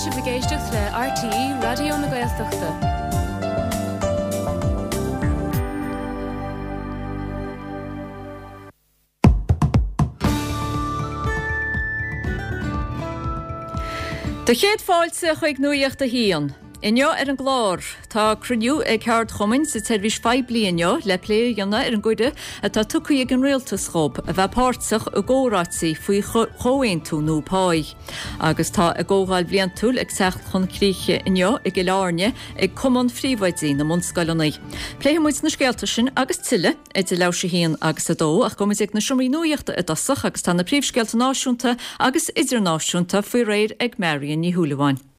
sibh ag éisteacht le RTÉ Raidió na Gaeltachta. Do chéad fáilte chuig Nuacht a hAon. Inniu ar an gclár, tá cruinniú ag ceardchumainn sa tseirbhís phoiblí inniu le plé a dhéanamh ar an gcuireadh atá tugtha ag an rialtas dhób a bheith páirteach i gcomhráití faoi chomhaontú nua páí. Agus tá a gcomhdháil bhliantúil ag teacht chun críche inniu i gCill Airne ag Cumann Phríomhoidí na mBunscoileanna. Pléifidh muid na scéalta sin agus tuilleadh idir leathuair tar éis a haon agus a dó ach gabhfaidh muid ag na seomraí nuachta i dtosach agus tá na príomhscéalta náisiúnta agus idirnáisiúnta faoi réir ag Marion Ní Shúilleabháin.